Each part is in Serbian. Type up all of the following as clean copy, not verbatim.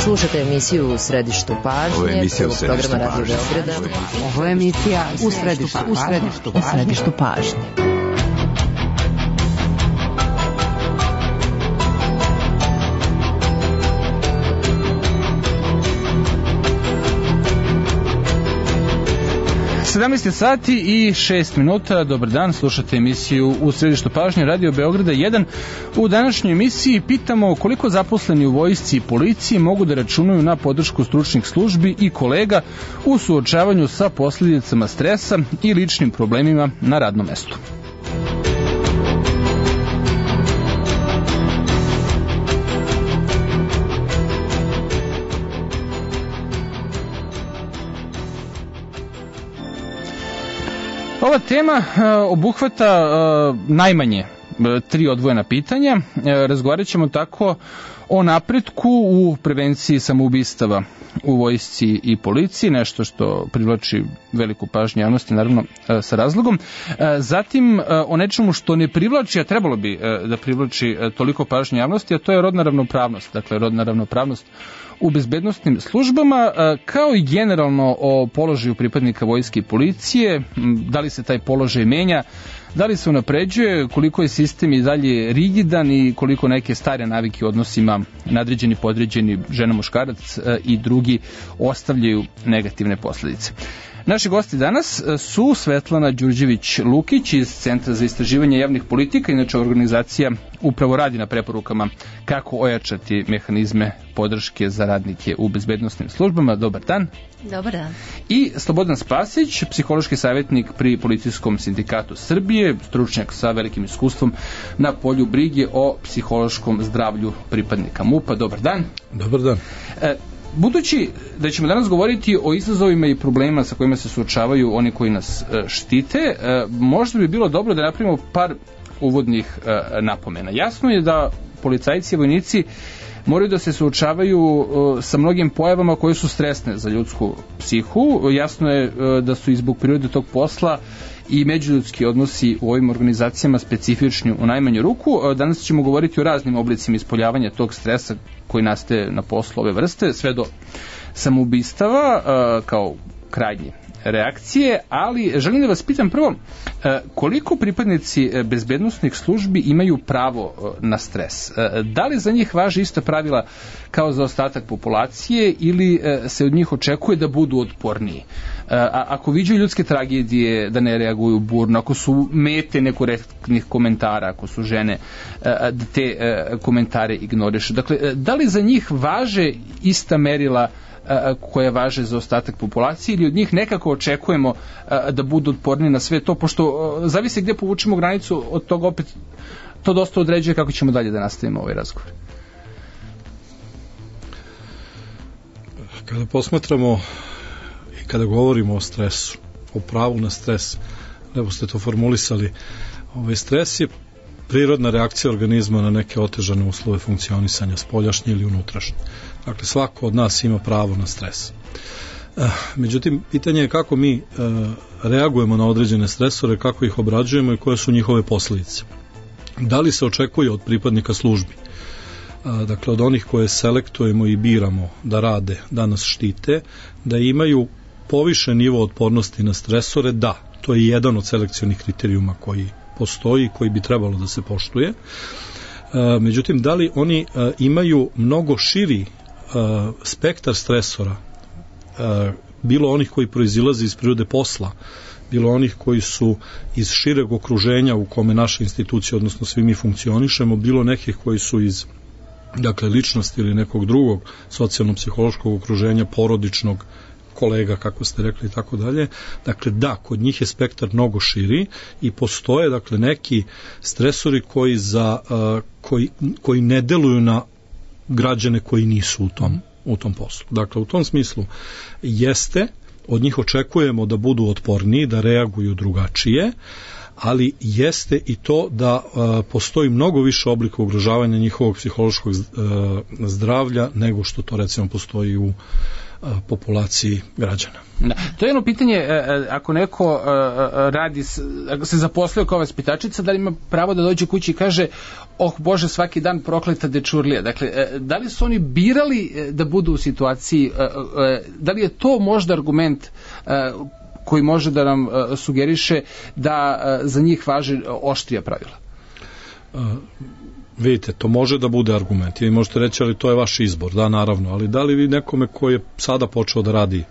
Slušate emisiju U središtu pažnje, programa Radio Beograda. Ovo je emisija U središtu pažnje. Sati i 6 minuta. Dobar dan, slušate emisiju U središtu pažnje Radio Beograda 1. U današnjoj emisiji pitamo koliko zaposleni u vojsci i policiji mogu da računaju na podršku stručnih službi i kolega u suočavanju sa posljedicama stresa i ličnim problemima na radnom mestu. Ova tema obuhvata najmanje 3 odvojena pitanja. Razgovarat ćemo tako o napretku u prevenciji samoubistava u vojsci i policiji, nešto što privlači veliku pažnju javnosti, naravno sa razlogom. Zatim o nečemu što ne privlači, a trebalo bi da privlači toliko pažnje javnosti, a to je rodna ravnopravnost. Dakle, rodna ravnopravnost u bezbednosnim službama, kao i generalno o položaju pripadnika vojske i policije, da li se taj položaj menja, da li se unapređuje, koliko je sistem i dalje rigidan i koliko neke stare navike u odnosima nadređeni, podređeni, žena, muškarac i drugi ostavljaju negativne posledice. Naši gosti danas su Svetlana Đurđević-Lukić iz Centra za istraživanje javnih politika, inače organizacija upravo radi na preporukama kako ojačati mehanizme podrške za radnike u bezbednosnim službama. Dobar dan. Dobar dan. I Slobodan Spasić, psihološki savjetnik pri Policijskom sindikatu Srbije, stručnjak sa velikim iskustvom na polju brige o psihološkom zdravlju pripadnika MUP-a. Dobar dan. Dobar dan. Budući da ćemo danas govoriti o izazovima i problemima sa kojima se suočavaju oni koji nas štite, možda bi bilo dobro da napravimo par uvodnih napomena. Jasno je da policajci i vojnici moraju da se suočavaju sa mnogim pojavama koje su stresne za ljudsku psihu. Jasno je da su i zbog prirode tog posla i međuljudski odnosi u ovim organizacijama specifični u najmanju ruku. Danas ćemo govoriti o raznim oblicima ispoljavanja tog stresa koji nastaje na poslu ove vrste, sve do samoubistava kao krajnje reakcije, ali želim da vas pitam prvo, koliko pripadnici bezbednosnih službi imaju pravo na stres? Da li za njih važe ista pravila kao za ostatak populacije ili se od njih očekuje da budu otporniji? Ako viđaju ljudske tragedije, da ne reaguju burno, ako su mete nekorektnih komentara, ako su žene, da te komentare ignorišu. Dakle, da li za njih važe ista merila koje važe za ostatak populacije ili od njih nekako očekujemo da budu otporni na sve to, pošto zavisi gdje povučemo granicu, od toga opet to dosta određuje kako ćemo dalje da nastavimo ovaj razgovor. Kada posmatramo i kada govorimo o stresu, o pravu na stres, lepo ste to formulisali, stres je prirodna reakcija organizma na neke otežane uslove funkcionisanja, spoljašnje ili unutrašnje. Dakle, svako od nas ima pravo na stres. Međutim, pitanje je kako mi reagujemo na određene stresore, kako ih obrađujemo i koje su njihove posljedice. Da li se očekuje od pripadnika službi, dakle od onih koje selektujemo i biramo da rade, da nas štite, da imaju povišen nivo otpornosti na stresore? Da, to je jedan od selekcionih kriterijuma koji postoji, koji bi trebalo da se poštuje. Međutim, da li oni imaju mnogo širi spektar stresora, bilo onih koji proizilaze iz prirode posla, bilo onih koji su iz šireg okruženja u kome naše institucije, odnosno svi mi funkcionišemo, bilo nekih koji su iz ličnosti ili nekog drugog socijalno-psihološkog okruženja, porodičnog, kolega, kako ste rekli, i tako dalje. Dakle, da, kod njih je spektar mnogo širi i postoje, neki stresori koji ne deluju na građane koji nisu u tom poslu. Dakle, u tom smislu jeste, od njih očekujemo da budu otporniji, da reaguju drugačije, ali jeste i to da postoji mnogo više oblika ugrožavanja njihovog psihološkog zdravlja nego što to recimo postoji u populaciji građana. Da. To je jedno pitanje, ako neko radi, ako se zaposlio kao vaspitačica, da li ima pravo da dođe kući i kaže, oh Bože, svaki dan prokleta dečurlija. Dakle, da li su oni birali da budu u situaciji, da li je to možda argument koji može da nam sugeriše da za njih važe oštrija pravila? Vidite, to može da bude argument. Vi možete reći, ali to je vaš izbor, da, naravno. Ali da li vi nekome koji je sada počeo da radi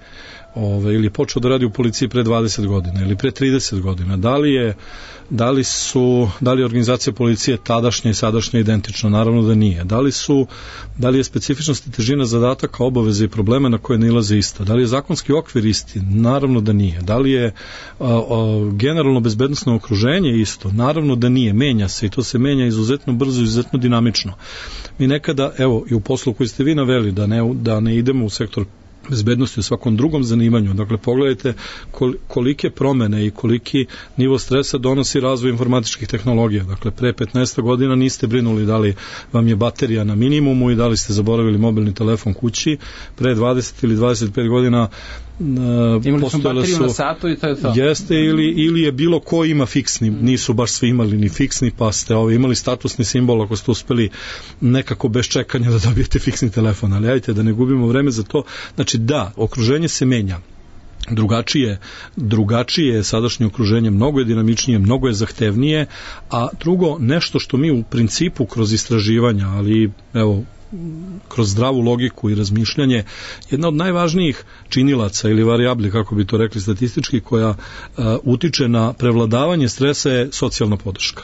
ili je počeo da radi u policiji pre 20 godina ili pre 30 godina, da li je organizacija policije tadašnja i sadašnja identična? Naravno da nije. Da li je specifičnost i težina zadataka, obaveze i problema na koje nailaze ista? Da li je zakonski okvir isti? Naravno da nije. Da li je generalno bezbednosno okruženje isto? Naravno da nije. Menja se i to se menja izuzetno brzo, izuzetno dinamično. Mi nekada, evo, i u poslu koji ste vi naveli, da ne idemo u sektor bezbednosti u svakom drugom zanimanju. Dakle, pogledajte kolike promene i koliki nivo stresa donosi razvoj informatičkih tehnologija. Dakle, pre 15 godina niste brinuli da li vam je baterija na minimumu i da li ste zaboravili mobilni telefon kući. Pre 20 ili 25 godina imali smo bateriju na satu i to je to. Jeste, ili je bilo ko ima fiksni, nisu baš svi imali ni fiksni, pa ste imali statusni simbol ako ste uspeli nekako bez čekanja da dobijete fiksni telefon, ali ajte da ne gubimo vreme za to. Znači da, okruženje se menja. Drugačije je sadašnje okruženje, mnogo je dinamičnije, mnogo je zahtevnije, a drugo, nešto što mi u principu kroz istraživanja, ali evo, kroz zdravu logiku i razmišljanje, jedna od najvažnijih činilaca ili varijabli, kako bi to rekli statistički, koja utiče na prevladavanje stresa je socijalna podrška.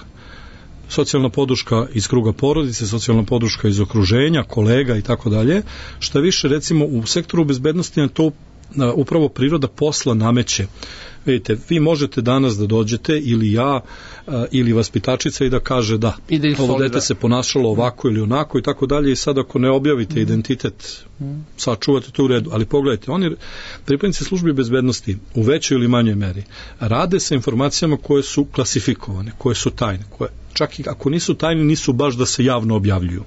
Socijalna podrška iz kruga porodice, socijalna podrška iz okruženja, kolega i tako dalje. Šta više, recimo, u sektoru bezbednosti na to upravo priroda posla nameće. Vidite, vi možete danas da dođete, ili ja, ili vaspitačica, i da kaže da, ovo dete se ponašalo ovako ili onako i tako dalje, i sad ako ne objavite identitet, sačuvate to u redu. Ali pogledajte, oni, pripadnici službi bezbednosti, u većoj ili manjoj meri, rade sa informacijama koje su klasifikovane, koje su tajne, koje čak i ako nisu tajne, nisu baš da se javno objavljuju.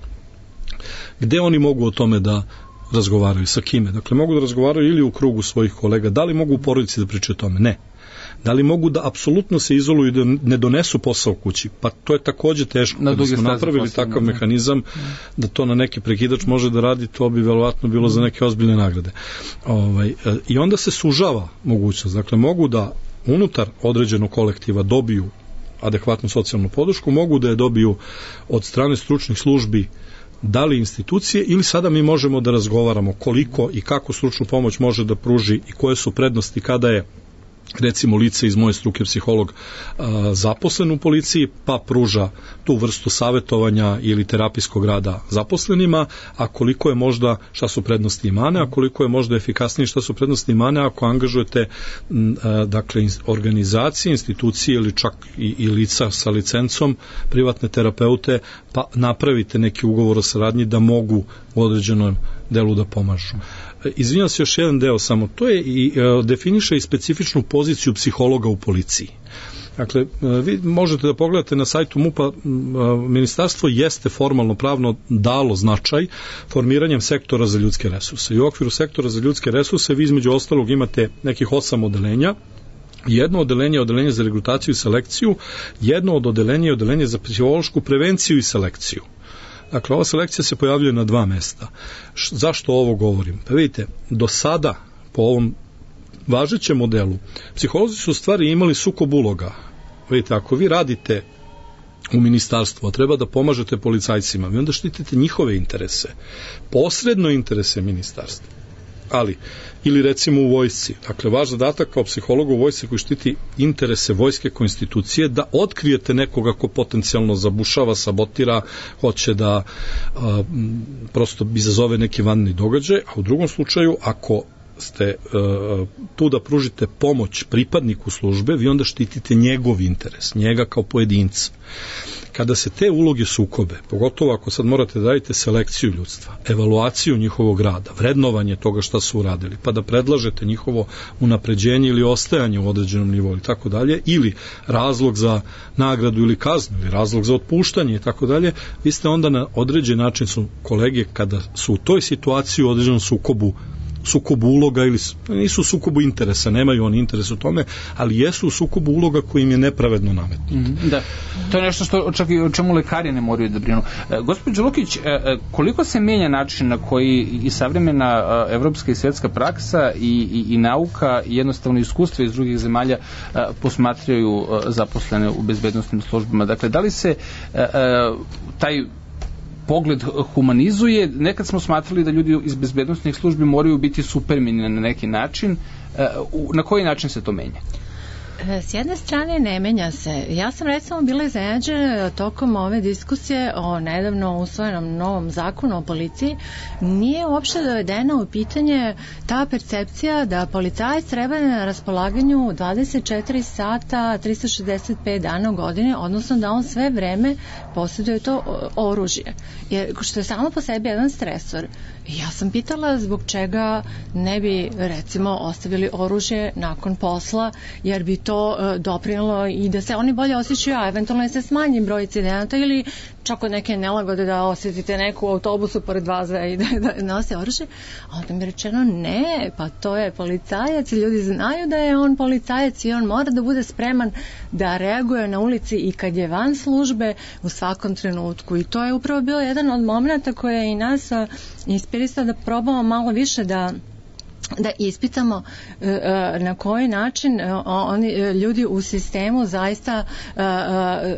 Gde oni mogu o tome da razgovaraju, sa kime? Dakle, mogu da razgovaraju ili u krugu svojih kolega. Da li mogu u porodici da pričaju o tome? Ne. Da li mogu da apsolutno se izoluju i da ne donesu posao kući? Pa to je takođe teško. Kada smo napravili takav mehanizam da to na neki prekidač može da radi, to bi verovatno bilo za neke ozbiljne nagrade. I onda se sužava mogućnost. Dakle, mogu da unutar određenog kolektiva dobiju adekvatnu socijalnu podršku, mogu da je dobiju od strane stručnih službi, da li institucije, ili sada mi možemo da razgovaramo koliko i kako stručnu pomoć može da pruži i koje su prednosti kada je, recimo, lice iz moje struke, psiholog, zaposlen u policiji, pa pruža tu vrstu savetovanja ili terapijskog rada zaposlenima, a koliko je možda, šta su prednosti i mane, a koliko je možda efikasnije, šta su prednosti i mane ako angažujete dakle, organizacije, institucije ili čak i lica sa licencom, privatne terapeute, pa napravite neki ugovor o saradnji da mogu u određenom delu da pomažu. Izvinjam se, još jedan deo samo, to je i definiše i specifičnu poziciju psihologa u policiji. Dakle, vi možete da pogledate na sajtu MUP-a, ministarstvo jeste formalno pravno dalo značaj formiranjem sektora za ljudske resurse. I u okviru sektora za ljudske resurse vi između ostalog imate nekih 8 odeljenja. Jedno odeljenje je odeljenje za regrutaciju i selekciju, jedno od odeljenja je odeljenje za psihološku prevenciju i selekciju. Dakle, ova selekcija se pojavljuje na 2 mesta. Zašto ovo govorim? Pa vidite, do sada, po ovom važećem modelu, psiholozi su u stvari imali sukob uloga. Vidite, ako vi radite u ministarstvu, a treba da pomažete policajcima, vi onda štitite njihove interese, posredno interese ministarstva. Ali, ili recimo u vojsci, dakle, vaš zadatak kao psihologa u vojsci koji štiti interese vojske kao institucije, da otkrijete nekoga ko potencijalno zabušava, sabotira, hoće da prosto izazove neki vanredni događaj, a u drugom slučaju, ako ste tu da pružite pomoć pripadniku službe, vi onda štitite njegov interes, njega kao pojedinca. Kada se te uloge sukobe, pogotovo ako sad morate da radite selekciju ljudstva, evaluaciju njihovog rada, vrednovanje toga šta su uradili, pa da predlažete njihovo unapređenje ili ostajanje u određenom nivou i tako dalje, ili razlog za nagradu ili kaznu, ili razlog za otpuštanje i tako dalje, vi ste onda na određen način, su kolege kada su u toj situaciji u određenom sukobu sukobu uloga ili nisu u sukobu interesa, nemaju oni interes u tome, ali jesu u sukobu uloga koji im je nepravedno nametnut. Da, to je nešto što čak i o čemu lekari ne moraju da brinu. Gospođo Lukić, koliko se menja način na koji i savremena evropska i svjetska praksa i nauka i jednostavno iskustva iz drugih zemalja posmatraju zaposlene u bezbednosnim službama? Dakle, da li se taj pogled humanizuje? Nekad smo smatrali da ljudi iz bezbednosnih službi moraju biti supermeni na neki način. Na koji način se to menja? S jedne strane ne menja se. Ja sam recimo bila iznenađena tokom ove diskusije o nedavno usvojenom novom zakonu o policiji. Nije uopšte dovedena u pitanje ta percepcija da policajac treba na raspolaganju 24 sata, 365 dana u godini, odnosno da on sve vreme posjeduje to oružje. Jer što je samo po sebi jedan stresor. Ja sam pitala zbog čega ne bi recimo ostavili oružje nakon posla, jer bi to doprinalo i da se oni bolje osjećaju, a eventualno se smanji broj incidenata ili čak od neke nelagode da osjetite neku u autobusu pored vas i da nose oružje. A onda mi je rečeno ne, pa to je policajac i ljudi znaju da je on policajac i on mora da bude spreman da reaguje na ulici i kad je van službe u svakom trenutku. I to je upravo bio jedan od momenta koje je i nas inspirisao da probamo malo više da ispitamo na koji način oni ljudi u sistemu zaista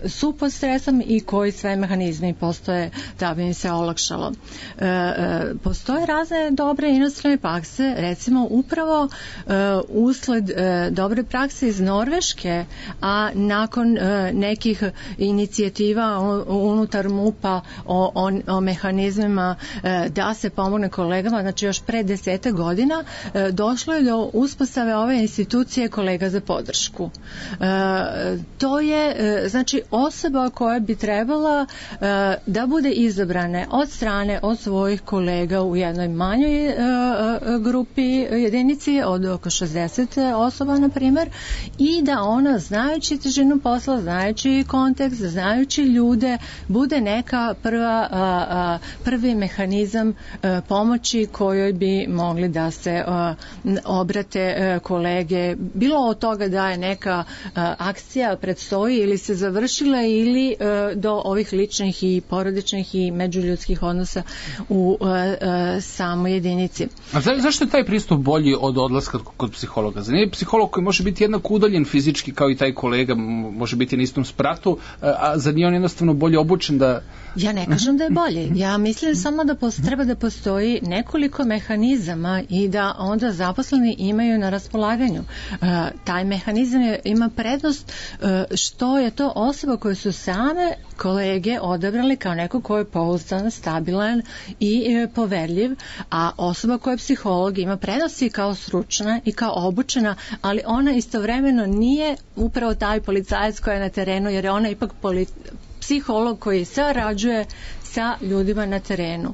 su pod stresom i koji sve mehanizmi postoje da bi im se olakšalo. Postoje razne dobre inostrane prakse, recimo upravo usled dobre prakse iz Norveške, a nakon nekih inicijativa unutar MUP-a o mehanizmima da se pomogne kolegama, znači još pre 10 godina došlo je do uspostave ove institucije kolega za podršku. To je znači osoba koja bi trebala da bude izabrane od strane od svojih kolega u jednoj manjoj grupi jedinici od oko 60 osoba na primjer i da ona znajući težinu posla, znajući kontekst, znajući ljude bude neka prvi mehanizam pomoći kojoj bi mogli da se obrate kolege, bilo od toga da je neka akcija predstoji ili se završila ili do ovih ličnih i porodičnih i međuljudskih odnosa u samoj jedinici. A zašto je taj pristup bolji od odlaska kod psihologa? Za nije psiholog koji može biti jednako udaljen fizički kao i taj kolega, može biti na istom spratu, a za nije on jednostavno bolje obučen da... Ja ne kažem da je bolje. Ja mislim samo da treba da postoji nekoliko mehanizama i da onda zaposleni imaju na raspolaganju. Taj mehanizam ima prednost što je to osoba koju su same kolege odabrali kao neko ko je pouzdan, stabilan i poverljiv, a osoba koja je psiholog ima prednost i kao stručna i kao obučena, ali ona istovremeno nije upravo taj policajac koja je na terenu, jer je ona ipak psiholog koji sarađuje sa ljudima na terenu.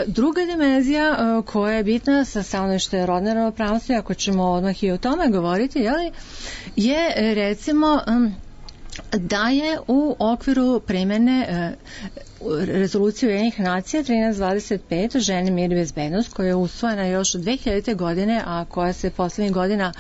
Druga dimenzija koja je bitna sa stanovišta rodne ravnopravnosti, ako ćemo odmah i o tome govoriti, je recimo da je u okviru primjene rezolucije Ujedinjenih nacija 1325 žene, mir i bezbednost, koja je usvojena još od 2000. godine, a koja se poslednjih godina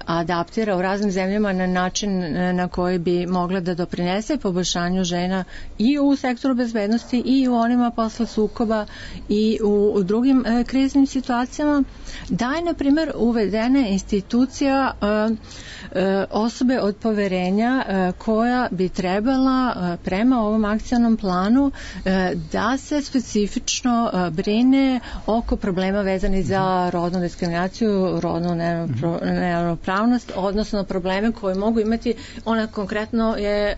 adaptira u raznim zemljama na način na koji bi mogla da doprinese poboljšanju žena i u sektoru bezbednosti i u onima posle sukoba i u drugim kriznim situacijama, da je, na primjer, uvedena institucija osobe od poverenja koja bi trebala prema ovom akcionom planu da se specifično brine oko problema vezani za rodnu diskriminaciju, rodnu neravnopravnost, odnosno probleme koje mogu imati, ona konkretno je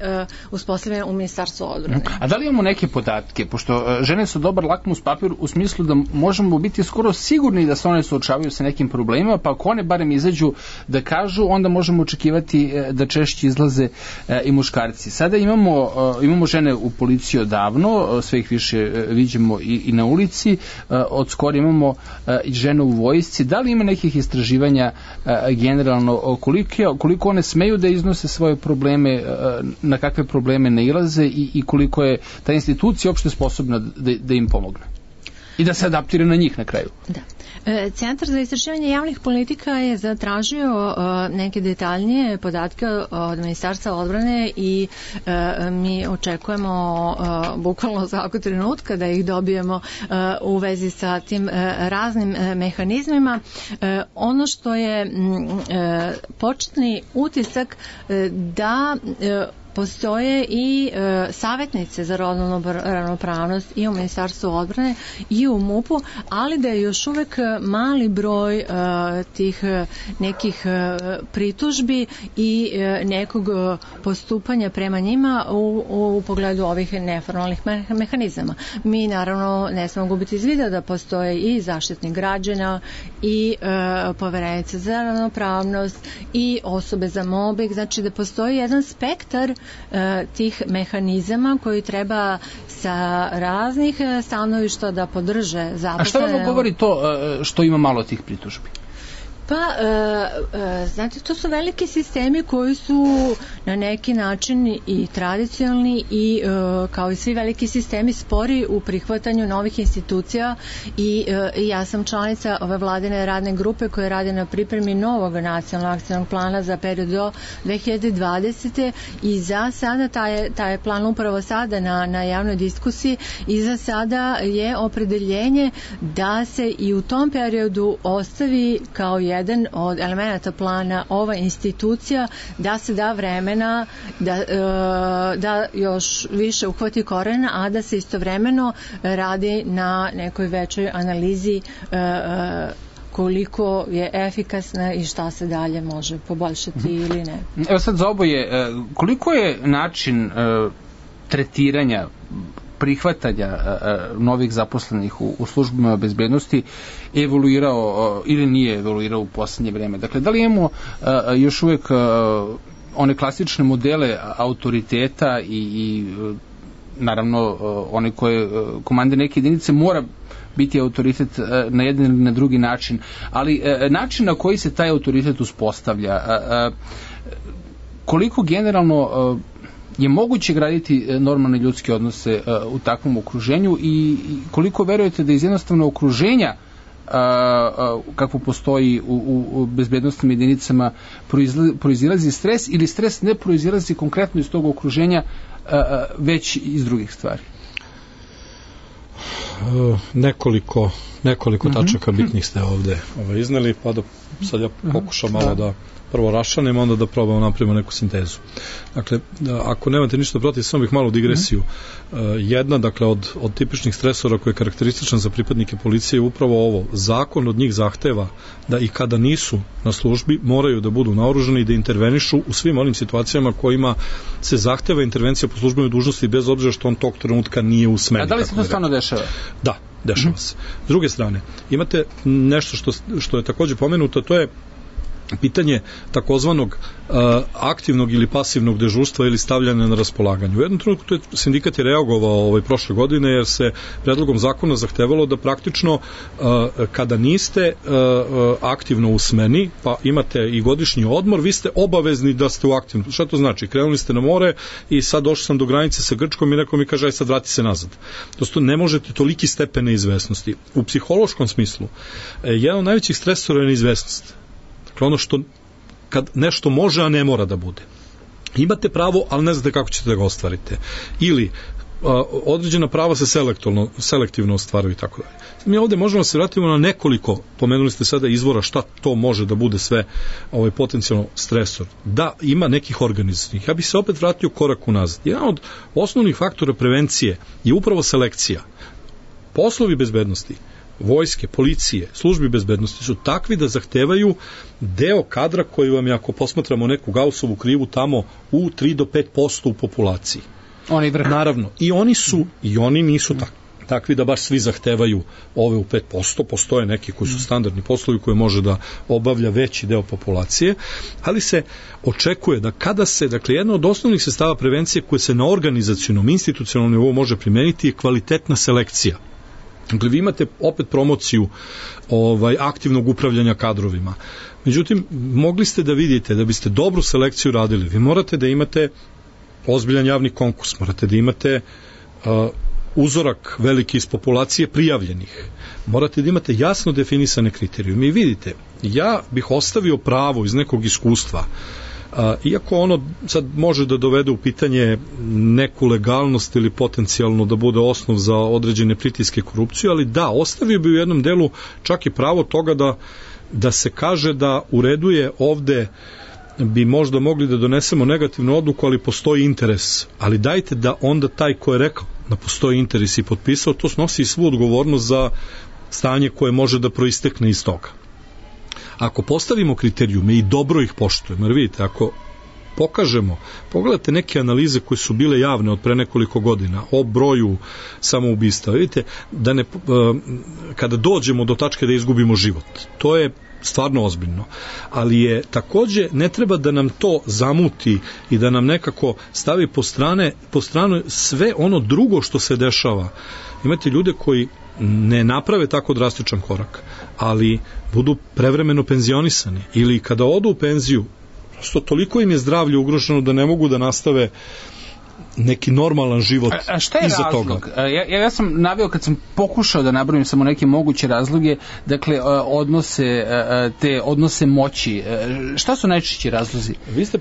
uspostavljena u Ministarstvu odbrane. A da li imamo neke podatke, pošto žene su dobar lakmus papir u smislu da možemo biti skoro sigurni da se one suočavaju sa nekim problemima, pa ako one barem izađu da kažu, onda možemo očekivati da češće izlaze i muškarci. Sada imamo žene u policiji odavno, sve ih više viđemo i na ulici, od skoro imamo i žene u vojsci. Da li ima nekih istraživanja generalno koliko one smeju da iznose svoje probleme, na kakve probleme nailaze i koliko je ta institucija uopšte sposobna da im pomogne i da se adaptira na njih na kraju? Da. Centar za istraživanje javnih politika je zatražio neke detaljnije podatke od Ministarstva odbrane i mi očekujemo bukvalno svakog trenutka da ih dobijemo u vezi sa tim raznim mehanizmima. Ono što je početni utisak da postoje i savjetnice za rodnu ravnopravnost i u Ministarstvu odbrane i u MUP-u, ali da je još uvek mali broj tih nekih pritužbi i nekog postupanja prema njima u pogledu ovih neformalnih mehanizama. Mi naravno ne smemo gubiti iz vida da postoje i zaštitnik građana i poverenica za ravnopravnost i osobe za mobbing, znači da postoji jedan spektar tih mehanizama koji treba sa raznih stanovišta da podrže zaposlene. A što vam govori to što ima malo tih pritužbi? Pa, znate, to su veliki sistemi koji su na neki način i tradicionalni i kao i svi veliki sistemi spori u prihvatanju novih institucija i ja sam članica ove vladine radne grupe koja radi na pripremi novog nacionalnog akcionog plana za period do 2020. i za sada taj plan upravo sada na javnoj diskusiji i za sada je opredeljenje da se i u tom periodu ostavi kao jedan od elemenata plana ova institucija, da se da vremena da još više uhvati korena, a da se istovremeno radi na nekoj većoj analizi koliko je efikasna i šta se dalje može poboljšati ili ne. Evo sad za oboje, koliko je način tretiranja prihvatanja novih zaposlenih u službama bezbednosti evoluirao ili nije evoluirao u poslednje vreme? Dakle, da li imamo još uvijek one klasične modele autoriteta i naravno one koje komande neke jedinice mora biti autoritet na jedan ili na drugi način, ali način na koji se taj autoritet uspostavlja, koliko generalno je moguće graditi normalne ljudske odnose u takvom okruženju i koliko verujete da iz jednostavno okruženja kako postoji u bezbednostnim jedinicama proizilazi stres ili stres ne proizilazi konkretno iz tog okruženja već iz drugih stvari? Nekoliko tačaka bitnih ste ovde izneli, pa da sad ja pokušam malo da prvo rašanem, onda da probamo napravimo neku sintezu. Dakle, ako nemate ništa protiv, samo bih malo digresiju. Jedna, dakle, od tipičnih stresora koja je karakteristična za pripadnike policije je upravo ovo. Zakon od njih zahteva da i kada nisu na službi moraju da budu naoružani i da intervenišu u svim onim situacijama kojima se zahteva intervencija po službenoj dužnosti bez obzira što on tog trenutka nije u smeni. A da li se to stvarno dešava? Da, dešava se. S druge strane, imate nešto što je takođe pomenuto, to je pitanje takozvanog aktivnog ili pasivnog dežurstva ili stavljanja na raspolaganje. U jednom trenutku sindikat je reagovao prošle godine jer se predlogom zakona zahtevalo da praktično kada niste aktivno u smeni, pa imate i godišnji odmor, vi ste obavezni da ste u aktivnom. Šta to znači? Krenuli ste na more i sad došli sam do granice sa Grčkom i neko mi kaže aj sad vrati se nazad. Prosto ne možete toliki stepen neizvesnosti. U psihološkom smislu jedan od najvećih stresora je neizvesnost. Dakle, ono što kad nešto može, a ne mora da bude. Imate pravo, ali ne znate kako ćete da ga ostvarite. Ili određena prava se selektivno ostvaruju i tako dalje. Mi ovde možemo da se vratimo na nekoliko, pomenuli ste sada izvora šta to može da bude sve potencijalno stresor. Da, ima nekih organizacijnih. Ja bih se opet vratio korak unazad. Jedan od osnovnih faktora prevencije je upravo selekcija. Poslovi bezbednosti, vojske, policije, službi bezbednosti su takvi da zahtevaju deo kadra koji vam je, ako posmatramo neku Gaussovu krivu, tamo u 3 do 5% u populaciji. Oni vrh. Naravno, i oni nisu takvi da baš svi zahtevaju ove u 5%, postoje neki koji su standardni poslovi koje može da obavlja veći deo populacije, ali se očekuje da kada se, dakle, jedna od osnovnih sredstava prevencije koje se na organizacionom, institucionalnom nivou može primeniti je kvalitetna selekcija. Dakle, vi imate opet promociju aktivnog upravljanja kadrovima. Međutim, mogli ste da vidite da biste dobru selekciju radili. Vi morate da imate ozbiljan javni konkurs, morate da imate uzorak veliki iz populacije prijavljenih. Morate da imate jasno definisane kriterijume. I vidite, ja bih ostavio pravo iz nekog iskustva, iako ono sad može da dovede u pitanje neku legalnost ili potencijalno da bude osnov za određene pritiske korupcije, ali da, ostavio bi u jednom delu čak i pravo toga da se kaže da u redu je ovde bi možda mogli da donesemo negativnu odluku, ali postoji interes. Ali dajte da onda taj ko je rekao da postoji interes i potpisao, to snosi i svu odgovornost za stanje koje može da proistekne iz toga. Ako postavimo kriterijume i dobro ih poštujemo, jer vidite, ako pokažemo, pogledajte neke analize koje su bile javne od pre nekoliko godina o broju samoubistva, vidite, da ne, kada dođemo do tačke da izgubimo život, to je stvarno ozbiljno, ali je takođe ne treba da nam to zamuti i da nam nekako stavi po stranu sve ono drugo što se dešava. Imate ljude koji ne naprave tako drastičan korak, ali budu prevremeno penzionisani ili kada odu u penziju, prosto toliko im je zdravlje ugroženo da ne mogu da nastave neki normalan život iza toga. A šta je razlog? Ja sam naveo kad sam pokušao da nabrojim samo neke moguće razloge, dakle odnose moći. Šta su najčešći razlozi? Vi ste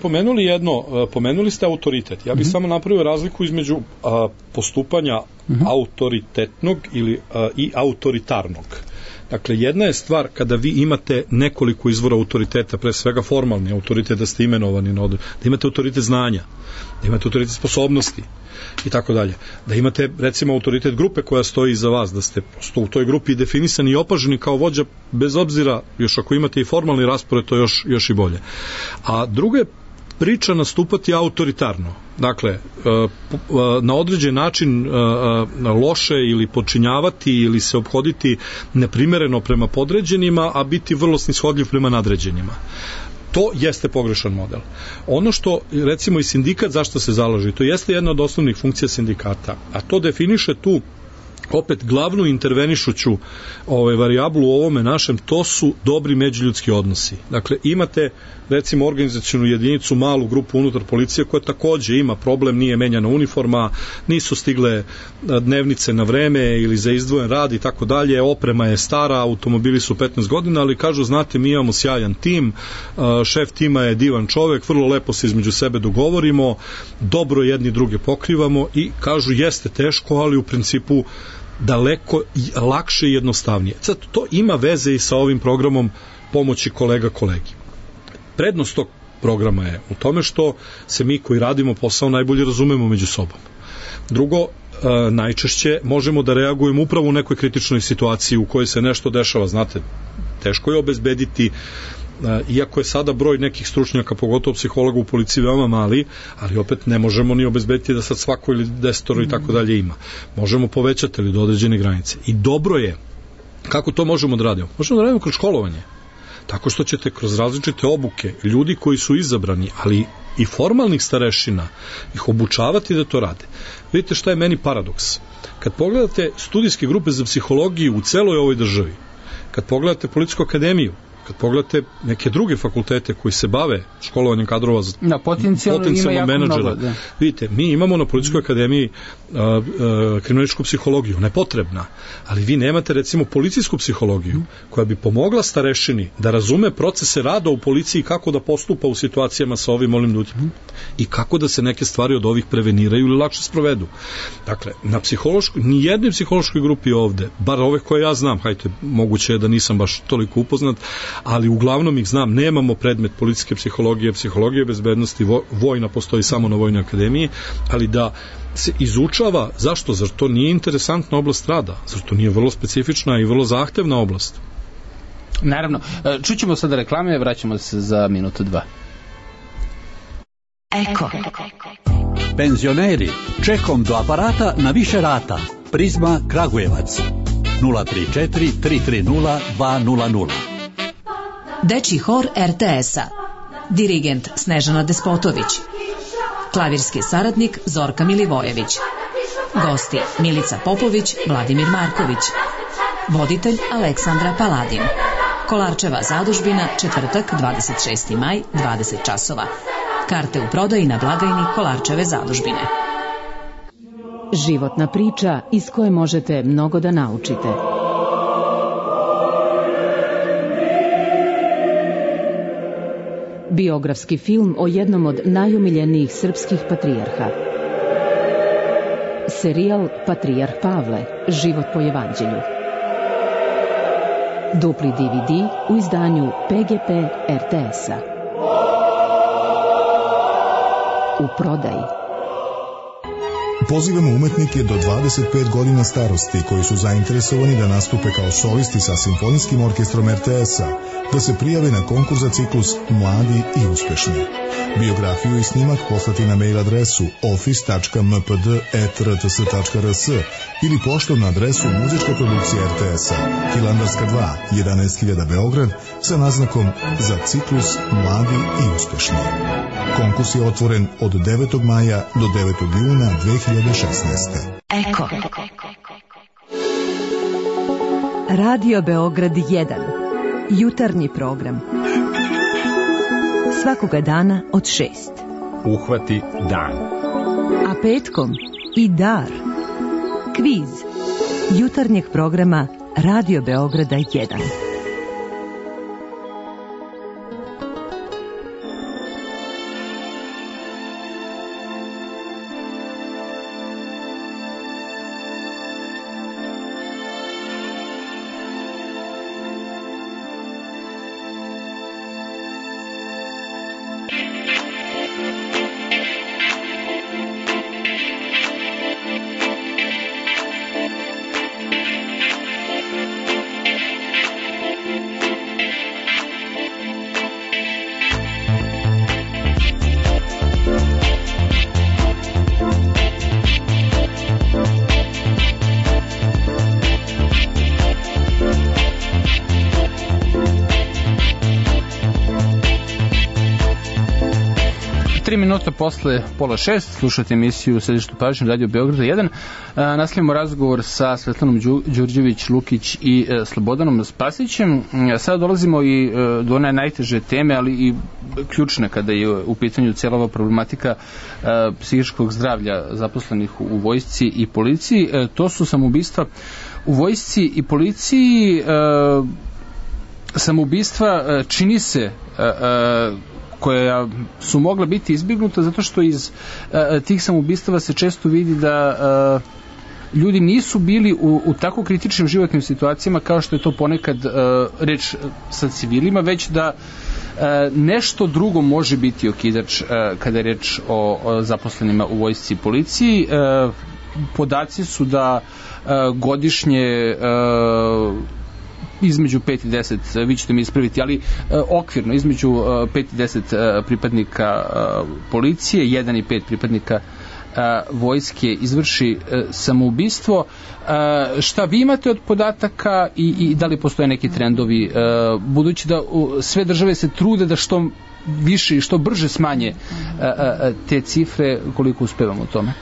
pomenuli ste autoritet. Ja bih samo napravio razliku između postupanja autoritetnog i autoritarnog. Dakle, jedna je stvar kada vi imate nekoliko izvora autoriteta, pre svega formalni autoritet, da ste imenovani, da imate autoritet znanja, da imate autoritet sposobnosti i tako dalje. Da imate, recimo, autoritet grupe koja stoji iza vas, da ste u toj grupi definisani i opaženi kao vođa, bez obzira, još ako imate i formalni raspored, to još i bolje. A druga je priča nastupati autoritarno. Dakle, na određen način loše ili počinjavati ili se ophoditi neprimereno prema podređenima, a biti vrlo snishodljiv prema nadređenima. To jeste pogrešan model. Ono što, recimo, i sindikat zašto se zalaže, to jeste jedna od osnovnih funkcija sindikata, a to definiše tu opet glavnu intervenišuću varijablu u ovome našem, to su dobri međuljudski odnosi. Dakle, imate recimo organizacionu jedinicu, malu grupu unutar policije koja takođe ima problem, nije menjana uniforma, nisu stigle dnevnice na vreme ili za izdvojen rad i tako dalje, oprema je stara, automobili su 15 godina, ali kažu, znate, mi imamo sjajan tim, šef tima je divan čovek, vrlo lepo se između sebe dogovorimo, dobro jedni druge pokrivamo i kažu, jeste teško, ali u principu daleko lakše i jednostavnije. Sad, to ima veze i sa ovim programom pomoći kolega kolegi. Prednost tog programa je u tome što se mi koji radimo posao najbolje razumemo među sobom. Drugo, najčešće možemo da reagujemo upravo u nekoj kritičnoj situaciji u kojoj se nešto dešava. Znate, teško je obezbediti, iako je sada broj nekih stručnjaka, pogotovo psihologa u policiji veoma mali, ali opet ne možemo ni obezbediti da sad svako ili 10 i tako dalje ima. Možemo povećati ili do određene granice. I dobro je, kako to možemo da radimo? Možemo da radimo kroz školovanje. Tako što ćete kroz različite obuke ljudi koji su izabrani, ali i formalnih starešina, ih obučavati da to rade. Vidite šta je meni paradoks. Kad pogledate studijske grupe za psihologiju u celoj ovoj državi, kad pogledate Policijsku akademiju, kad pogledate neke druge fakultete koji se bave školovanjem kadrova za potencijalno menadžera, vidite, mi imamo na Policijskoj akademiji kriminalističku psihologiju, ona je potrebna, ali vi nemate recimo policijsku psihologiju koja bi pomogla starešini da razume procese rada u policiji, kako da postupa u situacijama sa ovim ljudima i kako da se neke stvari od ovih preveniraju ili lakše sprovedu. Dakle, na nijednoj psihološkoj grupi ovde, bar ove koje ja znam, hajte, moguće je da nisam baš toliko upoznat, ali uglavnom ih znam, nemamo predmet policijske psihologije, psihologije bezbednosti, vojna postoji samo na Vojnoj akademiji, ali da se izučava, zašto? Zar to nije interesantna oblast rada? Zar to nije vrlo specifična i vrlo zahtevna oblast? Naravno. Čućemo sada reklame, vraćamo se za minutu 2. Eko. Penzioneri, čekom do aparata na više rata. Prizma Kragujevac. 034 330 200. Dečji hor RTS-a. Dirigent Snežana Despotović. Klavirski saradnik Zorka Milivojević. Gosti Milica Popović, Vladimir Marković. Voditelj Aleksandra Paladin. Kolarčeva zadužbina, četvrtak, 26. maj, 20 časova. Karte u prodaji na blagajni Kolarčeve zadužbine. Životna priča iz koje možete mnogo da naučite. Biografski film o jednom od najumiljenijih srpskih patrijarha. Serijal Patrijarh Pavle, život po evanđelju. Dupli DVD u izdanju PGP RTS-a. U prodaji. Pozivamo umetnike do 25 godina starosti koji su zainteresovani da nastupe kao solisti sa Simfonijskim orkestrom RTS-a, da se prijave na konkurs za ciklus Mladi i uspešni. Biografiju i snimak poslati na mail adresu office.mpd@rts.rs ili poštom na adresu Muzička produkcija RTS-a, Hilandarska 2, 11.000 Beograd, sa naznakom za ciklus Mladi i uspešni. Konkurs je otvoren od 9. maja do 9. juna 2016. Eko. Radio Beograd 1. Jutarnji program. Svakoga dana od 6. Uhvati dan. A petkom i dar. Kviz. Jutarnjeg programa Radio Beograda 1. Minuta posle 5:30 slušate emisiju Središtu pažnje Radio Beograda 1. Nastavljamo razgovor sa Svetlanom Đurđević-Lukić i Slobodanom Spasićem. Sada dolazimo i do one najteže teme, ali i ključne kada je u pitanju cijela ova problematika psihičkog zdravlja zaposlenih u vojsci i policiji. To su samoubistva u vojsci i policiji. Samoubistva čini se koja su mogla biti izbjegnuta zato što iz tih samoubistava se često vidi da ljudi nisu bili u tako kritičnim životnim situacijama kao što je to ponekad reč sa civilima, već da nešto drugo može biti okidač kada je reč o zaposlenima u vojsci i policiji. Podaci su da godišnje između 5 i 10, vi ćete mi ispraviti, ali okvirno između 5 i 10 pripadnika policije, 1 i 5 pripadnika vojske izvrši samoubistvo. Šta vi imate od podataka i da li postoje neki trendovi, budući da sve države se trude da što više i što brže smanje te cifre, koliko uspevamo u tome?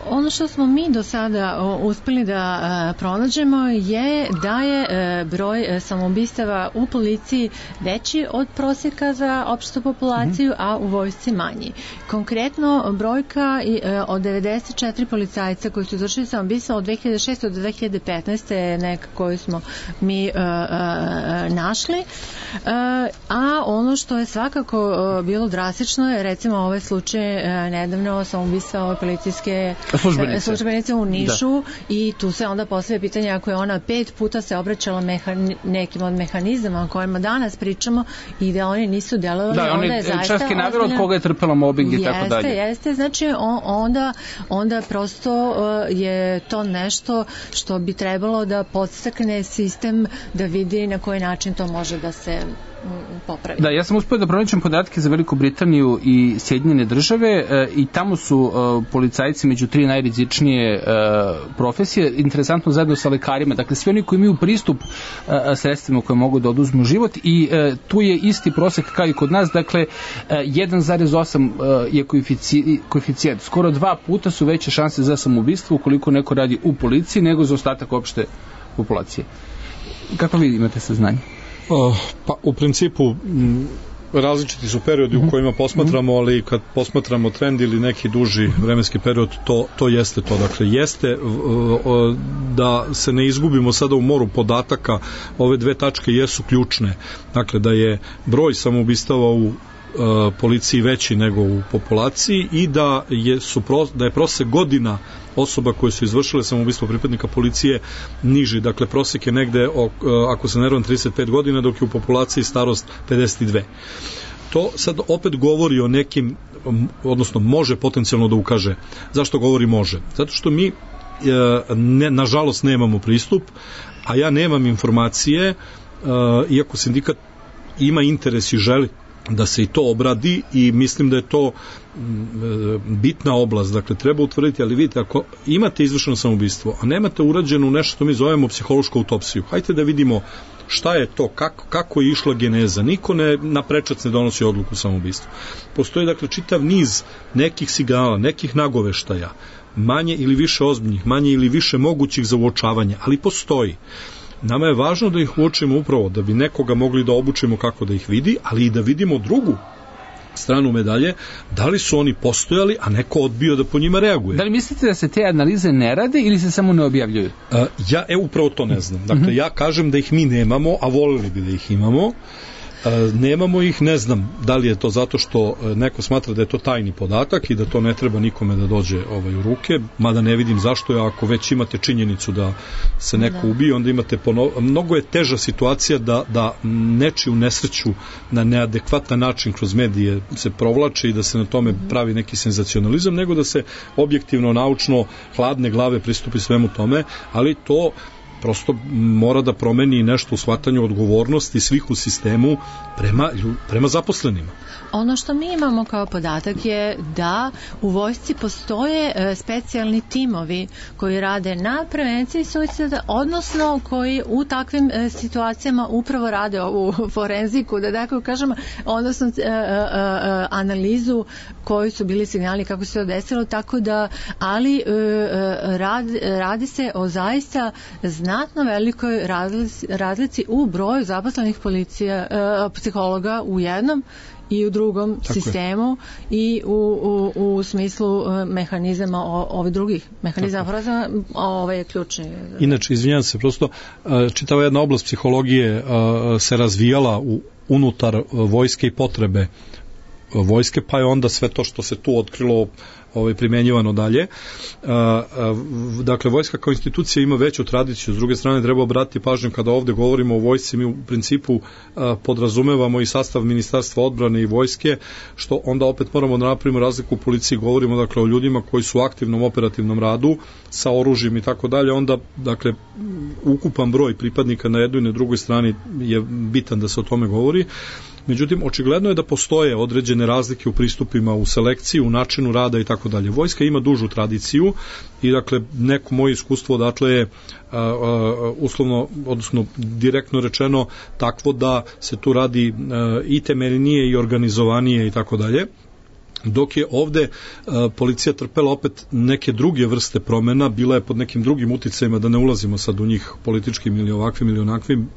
Ono što smo mi do sada uspeli da pronađemo je da je broj samoubistava u policiji veći od prosjeka za opštu populaciju, a u vojsci manji. Konkretno, brojka od 94 policajca koji su izvršili samoubistva od 2006. do 2015. je neka koju smo mi našli. A ono što je svakako bilo drastično je recimo ovaj slučaj nedavno samoubistva ove policijske službenice u Nišu, da. I tu se onda postavlja pitanje ako je ona 5 puta se obraćala nekim od mehanizama o kojima danas pričamo i da oni nisu delovali, da, onda je zaista čak je naveo od koga je trpela mobbing i tako dalje. Jeste, znači onda prosto je to nešto što bi trebalo da podstakne sistem da vidi na koji način to može da se popravi. Da, ja sam uspio da pronađem podatke za Veliku Britaniju i Sjedinjene države i tamo su policajci među 3 najrizičnije profesije, interesantno zajedno sa lekarima, dakle svi oni koji imaju pristup sredstvima koje mogu da oduzmu život i tu je isti prosek kao i kod nas, dakle 1,8 je koeficijent, skoro 2 puta su veće šanse za samoubistvo ukoliko neko radi u policiji nego za ostatak opšte populacije. Kako vi imate saznanje? Pa u principu različiti su periodi u kojima posmatramo, ali kad posmatramo trend ili neki duži vremenski period, to jeste to. Dakle, jeste da se ne izgubimo sada u moru podataka, ove dve tačke jesu ključne. Dakle, da je broj samoubistava u policiji veći nego u populaciji i da je prosek godina osoba koje su izvršile samoubistvo pripadnika policije niži. Dakle, prosek je negde, ako se ne varam, 35 godina, dok je u populaciji starost 52. To sad opet govori o nekim, odnosno može potencijalno da ukaže. Zašto govori može? Zato što mi nažalost nemamo pristup, a ja nemam informacije, iako sindikat ima interes i želi da se i to obradi i mislim da je to bitna oblast, dakle treba utvrditi, ali vidite, ako imate izvršeno samoubistvo, a nemate urađenu nešto što mi zovemo psihološku autopsiju, hajde da vidimo šta je to, kako je išla geneza. Niko na prečac ne donosi odluku o samoubistvu. Postoji dakle čitav niz nekih signala, nekih nagoveštaja, manje ili više ozbiljnih, manje ili više mogućih za uočavanje, ali postoji. Nama je važno da ih uočimo upravo da bi nekoga mogli da obučimo kako da ih vidi, ali i da vidimo drugu stranu medalje, da li su oni postojali, a neko odbio da po njima reaguje. Da li mislite da se te analize ne rade ili se samo ne objavljuju? Ja upravo to ne znam. Dakle, ja kažem da ih mi nemamo, a volili bi da ih imamo. Nemamo ih, ne znam da li je to zato što neko smatra da je to tajni podatak i da to ne treba nikome da dođe u ruke, mada ne vidim zašto je, ako već imate činjenicu da se neko ubije, onda imate mnogo je teža situacija da nečiju nesreću na neadekvatan način kroz medije se provlači i da se na tome pravi neki senzacionalizam, nego da se objektivno, naučno, hladne glave pristupi svemu tome, ali to prosto mora da promeni nešto u shvatanju odgovornosti svih u sistemu prema zaposlenima. Ono što mi imamo kao podatak je da u vojsci postoje specijalni timovi koji rade na prevenciji suicida, odnosno koji u takvim situacijama upravo rade ovu forenziku, da tako kažemo, odnosno analizu koji su bili signali, kako se to desilo, tako da, ali radi se o zaista znatno velikoj razlici u broju zaposlenih psihologa u jednom i u drugom sistemu i u smislu mehanizama ovih drugih mehanizama, je ključni. Inače, izvinjam se, prosto čitava jedna oblast psihologije se razvijala unutar vojske i potrebe vojske, pa je onda sve to što se tu otkrilo primjenjivano dalje. Dakle, vojska kao institucija ima veću tradiciju, s druge strane treba obratiti pažnju kada ovde govorimo o vojsci, mi u principu podrazumevamo i sastav ministarstva odbrane i vojske, što onda opet moramo da napravimo razliku u policiji, govorimo dakle o ljudima koji su u aktivnom operativnom radu sa oružjem i tako dalje, onda dakle ukupan broj pripadnika na jednoj i na drugoj strani je bitan da se o tome govori. Međutim, očigledno je da postoje određene razlike u pristupima, u selekciji, u načinu rada i tako dalje. Vojska ima dužu tradiciju i dakle neko moje iskustvo odatle je uslovno, odnosno direktno rečeno takvo da se tu radi i temeljnije i organizovanije i tako dalje. Dok je ovde policija trpela opet neke druge vrste promena, bila je pod nekim drugim uticajima, da ne ulazimo sad u njih političkim ili ovakvim ili onakvim,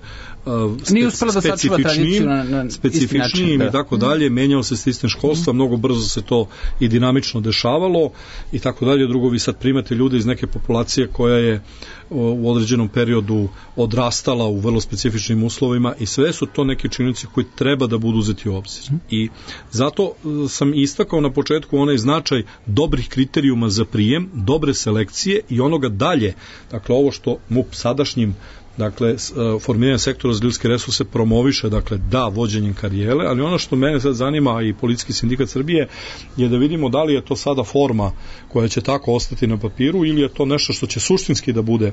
specifičnijim i tako dalje, menjao se sistem školstva, mnogo brzo se to i dinamično dešavalo i tako dalje. Drugo, vi sad primate ljude iz neke populacije koja je u određenom periodu odrastala u vrlo specifičnim uslovima i sve su to neke činjenice koji treba da budu uzeti u obzir. I zato sam istakao na početku onaj značaj dobrih kriterijuma za prijem, dobre selekcije i onoga dalje, dakle ovo što MUP sadašnjim dakle, formiranje sektora za ljudske resurse promoviše, dakle, da, vođenjem karijere, ali ono što mene sad zanima i Policijski sindikat Srbije je da vidimo da li je to sada forma koja će tako ostati na papiru ili je to nešto što će suštinski da bude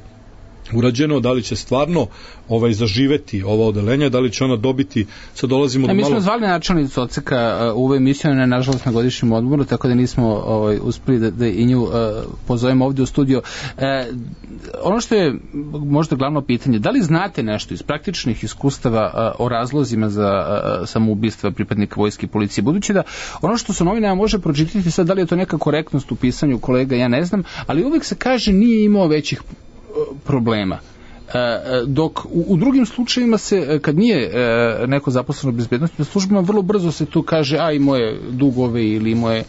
urađeno, da li će stvarno zaživeti ova odeljenja, da li će ona dobiti, sad dolazimo do malo... Mi smo zvali načelnicu odseka u ovoj emisiji, ona je nažalost na godišnjem odmoru, tako da nismo uspeli da i nju pozovemo ovdje u studio. Ono što je možda glavno pitanje, da li znate nešto iz praktičnih iskustava o razlozima za samoubistva pripadnika vojske i policije, budući da ono što se novinama može pročitati, sad da li je to neka korektnost u pisanju kolega, ja ne znam, ali uvijek se kaže nije imao većih problema. Dok u drugim slučajevima se, kad nije neko zaposleno u bezbednosti službama, vrlo brzo se tu kaže i moje dugove ili moje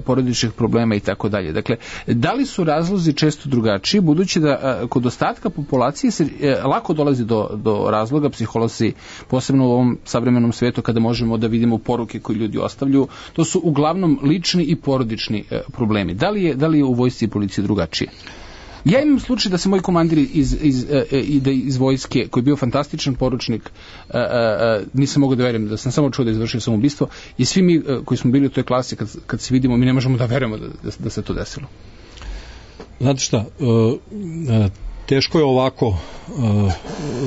porodičnih problema i tako dalje. Dakle, da li su razlozi često drugačiji, budući da kod ostatka populacije se lako dolazi do razloga, psiholozi, posebno u ovom savremenom svijetu kada možemo da vidimo poruke koje ljudi ostavljaju, to su uglavnom lični i porodični problemi. Da li je u vojsci i policiji drugačije? Ja imam slučaj da se moj komandir iz vojske, koji je bio fantastičan poručnik, nisam mogao da verujem, da sam samo čuo da izvršio samoubistvo, i svi mi koji smo bili u toj klasi, kad se vidimo, mi ne možemo da verujemo da se to desilo. Znate šta, teško je ovako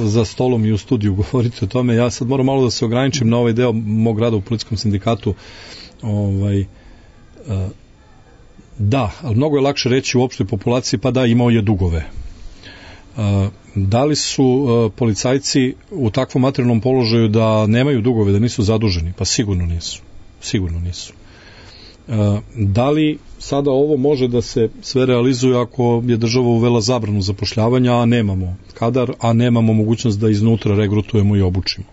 za stolom i u studiju govoriti o tome. Ja sad moram malo da se ograničim na ovaj deo mog rada u policijskom sindikatu. Da, ali mnogo je lakše reći u opštoj populaciji, pa da, imao je dugove. Da li su policajci u takvom materijalnom položaju da nemaju dugove, da nisu zaduženi? Pa sigurno nisu. Da li sada ovo može da se sve realizuje ako je država uvela zabranu zapošljavanja, a nemamo kadar, a nemamo mogućnost da iznutra regrutujemo i obučimo?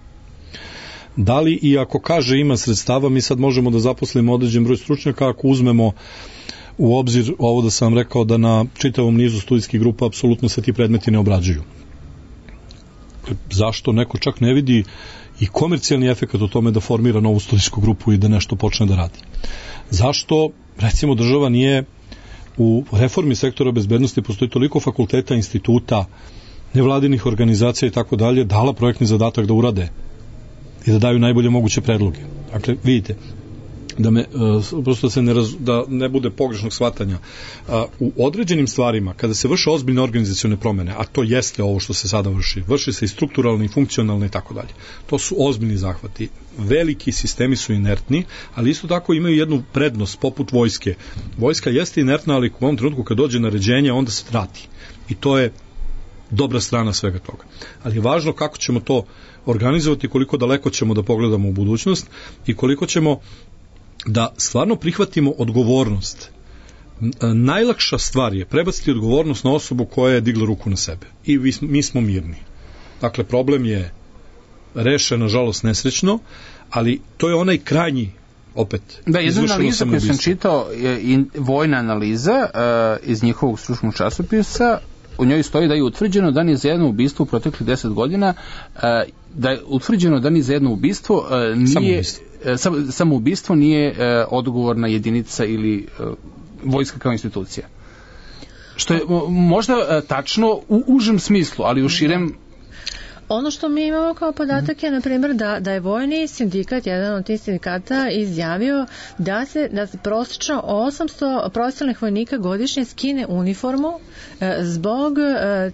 Da li i ako kaže ima sredstava, mi sad možemo da zaposlimo određen broj stručnjaka ako uzmemo u obzir ovo da sam rekao da na čitavom nizu studijskih grupa apsolutno se ti predmeti ne obrađuju. Zašto neko čak ne vidi i komercijalni efekat o tome da formira novu studijsku grupu i da nešto počne da radi? Zašto, recimo, država nije u reformi sektora bezbednosti, postoji toliko fakulteta, instituta, nevladinih organizacija i tako dalje, dala projektni zadatak da urade i da daju najbolje moguće predloge? Dakle, vidite, prosto da ne bude pogrešnog shvatanja, u određenim stvarima kada se vrše ozbiljne organizacione promene, a to jeste ovo što se sada vrši se i strukturalne i funkcionalne i tako dalje, to su ozbiljni zahvati, veliki sistemi su inertni, ali isto tako imaju jednu prednost poput vojske. Vojska jeste inertna, ali u ovom trenutku kad dođe naređenje onda se trati i to je dobra strana svega toga. Ali je važno kako ćemo to organizovati, koliko daleko ćemo da pogledamo u budućnost i koliko ćemo da stvarno prihvatimo odgovornost. Najlakša stvar je prebaciti odgovornost na osobu koja je digla ruku na sebe. I mi smo mirni. Dakle, problem je rešen, nažalost, nesrećno, ali to je onaj krajnji, opet, da, jedna analiza koju sam čitao, vojna analiza iz njihovog stručnog časopisa, u njoj stoji da je utvrđeno da ni za jedno ubistvo u proteklih 10 godina, da je utvrđeno da ni za jedno ubistvo nije... Samoubistvo nije odgovorna jedinica ili vojska kao institucija. Što je možda tačno u užem smislu, ali u širem... Ono što mi imamo kao podatak je, na primjer, da je vojni sindikat, jedan od tih sindikata, izjavio da se prosječno 800 profesionalnih vojnika godišnje skine uniformu zbog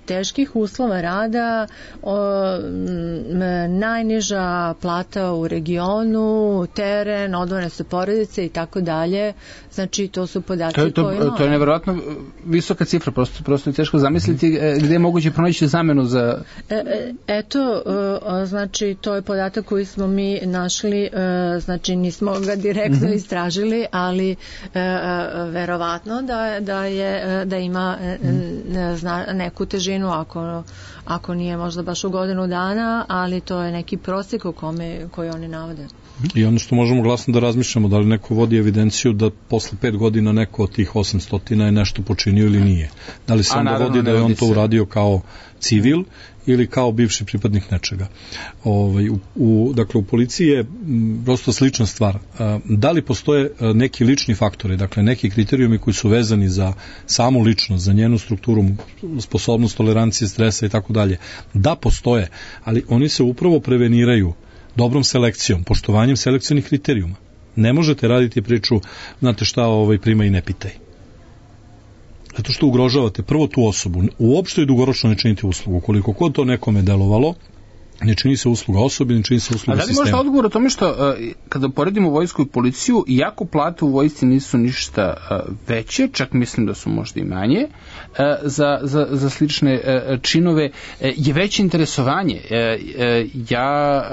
teških uslova rada, najniža plata u regionu, teren, odvojene su porodice i tako dalje. Znači, to su podaci koji imamo. To je nevjerojatno visoka cifra, prosto je teško zamisliti gde je moguće pronaći zamenu za... Eto, znači, to je podatak koji smo mi našli, znači nismo ga direktno istražili, ali verovatno da ima neku težinu, ako nije možda baš u godinu dana, ali to je neki prosjek koji oni navode. I ono što možemo glasno da razmišljamo, da li neko vodi evidenciju da posle 5 godina neko od tih 800 je nešto počinio ili nije. Da li se onda vodi da je on to uradio kao civil ili kao bivši pripadnik nečega. Dakle, u policiji je prosto slična stvar. Da li postoje neki lični faktori, dakle neki kriterijumi koji su vezani za samu ličnost, za njenu strukturu, sposobnost tolerancije, stresa i tako dalje? Da, postoje, ali oni se upravo preveniraju dobrom selekcijom, poštovanjem selekcionih kriterijuma. Ne možete raditi priču, znate šta, prima i ne pitaj. Zato što ugrožavate prvo tu osobu. Uopšte i dugoročno ne činite uslugu. Koliko kod to nekome delovalo, ne čini se usluga osobi, ne čini se usluga sistema. A da li možda odgovor o tome što kada poredimo vojsku i policiju, iako plate u vojsci nisu ništa veće, čak mislim da su možda i manje, za slične činove, je veće interesovanje. Ja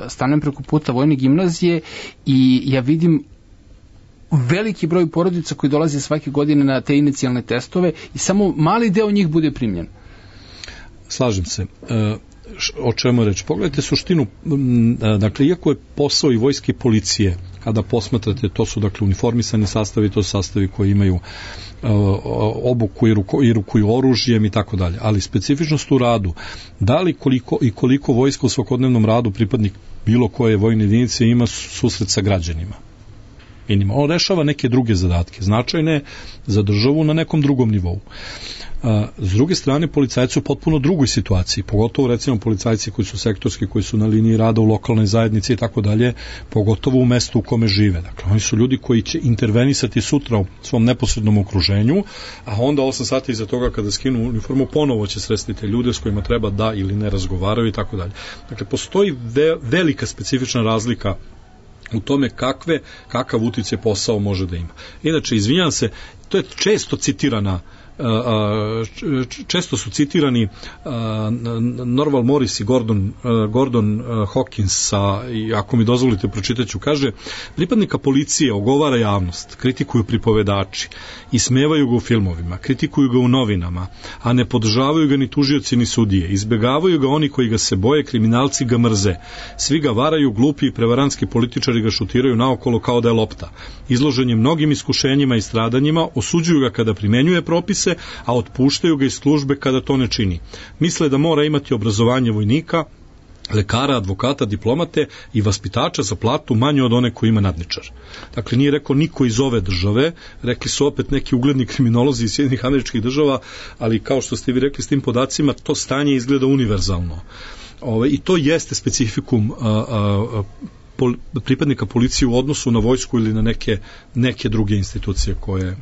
stanem preko puta vojne gimnazije i ja vidim veliki broj porodica koji dolaze svake godine na te inicijalne testove i samo mali deo njih bude primljen. slažem se. O čemu je reč? Pogledajte suštinu, dakle, iako je posao i vojske i policije, kada posmatrate, to su dakle uniformisani sastavi, to su sastavi koji imaju obuku i rukuju oružjem i tako dalje, ali specifičnost u radu, da li koliko vojska u svakodnevnom radu pripadnik bilo koje vojne jedinice ima susret sa građanima. On rešava neke druge zadatke, značajne za državu na nekom drugom nivou. S druge strane, policajci su u potpuno drugoj situaciji, pogotovo recimo policajci koji su sektorski, koji su na liniji rada u lokalnoj zajednici i tako dalje, pogotovo u mestu u kome žive. Dakle, oni su ljudi koji će intervenisati sutra u svom neposrednom okruženju, a onda 8 sati iza toga kada skinu uniformu ponovo će sresti te ljude s kojima treba da ili ne razgovaraju i tako dalje. Dakle, postoji velika specifična razlika u tome kakav uticaj posao može da ima. Inače, izvinjam se, to je često su citirani Norval Morris i Gordon Hawkins, i ako mi dozvolite pročitaću, kaže: pripadnika policije ogovara javnost, kritikuju pripovedači, ismevaju ga u filmovima, kritikuju ga u novinama, a ne podržavaju ga ni tužioci ni sudije, izbegavaju ga oni koji ga se boje, kriminalci ga mrze, svi ga varaju, glupi i prevarantski političari ga šutiraju naokolo kao da je lopta, izložen je mnogim iskušenjima i stradanjima, osuđuju ga kada primenjuje propise, a otpuštaju ga iz službe kada to ne čini. Misle da mora imati obrazovanje vojnika, lekara, advokata, diplomate i vaspitača za platu manju od one koji ima nadničar. Dakle, nije rekao niko iz ove države, rekli su opet neki ugledni kriminolozi iz Sjedinjenih Američkih Država, ali kao što ste vi rekli s tim podacima, to stanje izgleda univerzalno. I to jeste specifikum pripadnika policije u odnosu na vojsku ili na neke druge institucije koje...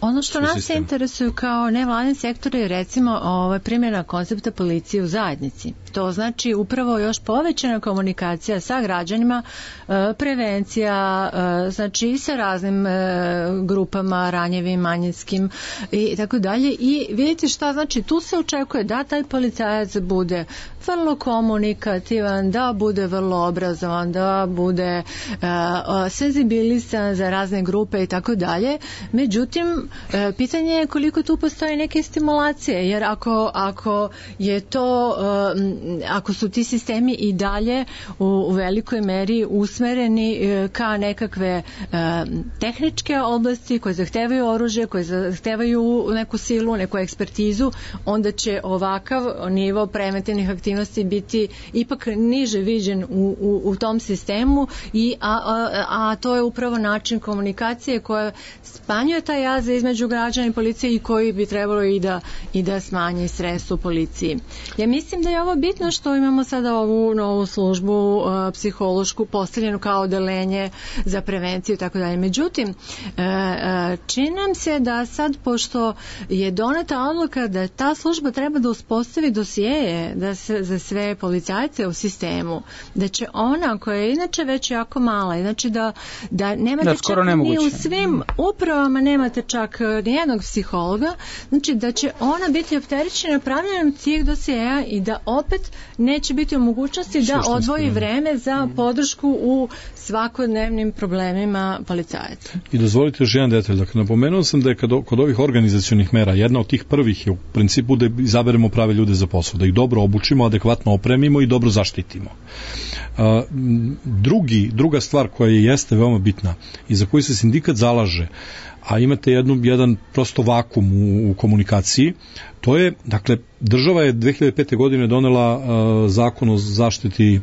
Ono što nas interesuju kao nevladin sektor je recimo primjena koncepta policije u zajednici. To znači upravo još povećana komunikacija sa građanima, prevencija, znači i sa raznim grupama, ranjivim, manjinskim i tako dalje. I vidite šta znači, tu se očekuje da taj policajac bude vrlo komunikativan, da bude vrlo obrazovan, da bude senzibilisan za razne grupe i tako dalje. Međutim, pitanje je koliko tu postoji neke stimulacije, jer ako je to, ako su ti sistemi i dalje u velikoj meri usmereni ka nekakve tehničke oblasti koje zahtevaju oružje, koje zahtevaju neku silu, neku ekspertizu, onda će ovakav nivo preventivnih aktivnosti biti ipak niže viđen u tom sistemu, a to je upravo način komunikacije koja smanjuje taj jaz između građana i policije i koji bi trebalo i da smanji stres u policiji. Ja mislim da je ovo bitno što imamo sada ovu novu službu psihološku postavljenu kao odeljenje za prevenciju i tako dalje. Međutim, čini nam se da sad, pošto je doneta odluka da ta služba treba da uspostavi dosjeje za sve policajce u sistemu, da će ona koja je inače već jako mala, znači da nemate čak ni u svim upravama nemate čak nijednog psihologa, znači da će ona biti opterećena pravljenjem tih dosjeja i da opet neće biti u mogućnosti da odvoji vreme za podršku u svakodnevnim problemima policajaca. I dozvolite još jedan detalj. Dakle, napomenuo sam da je kod ovih organizacionih mera jedna od tih prvih je u principu da izaberemo prave ljude za posao, da ih dobro obučimo, adekvatno opremimo i dobro zaštitimo. Druga stvar koja jeste veoma bitna i za koju se sindikat zalaže, a imate jedan prosto vakum u komunikaciji, to je, dakle, država je 2005. godine donela zakon o zaštiti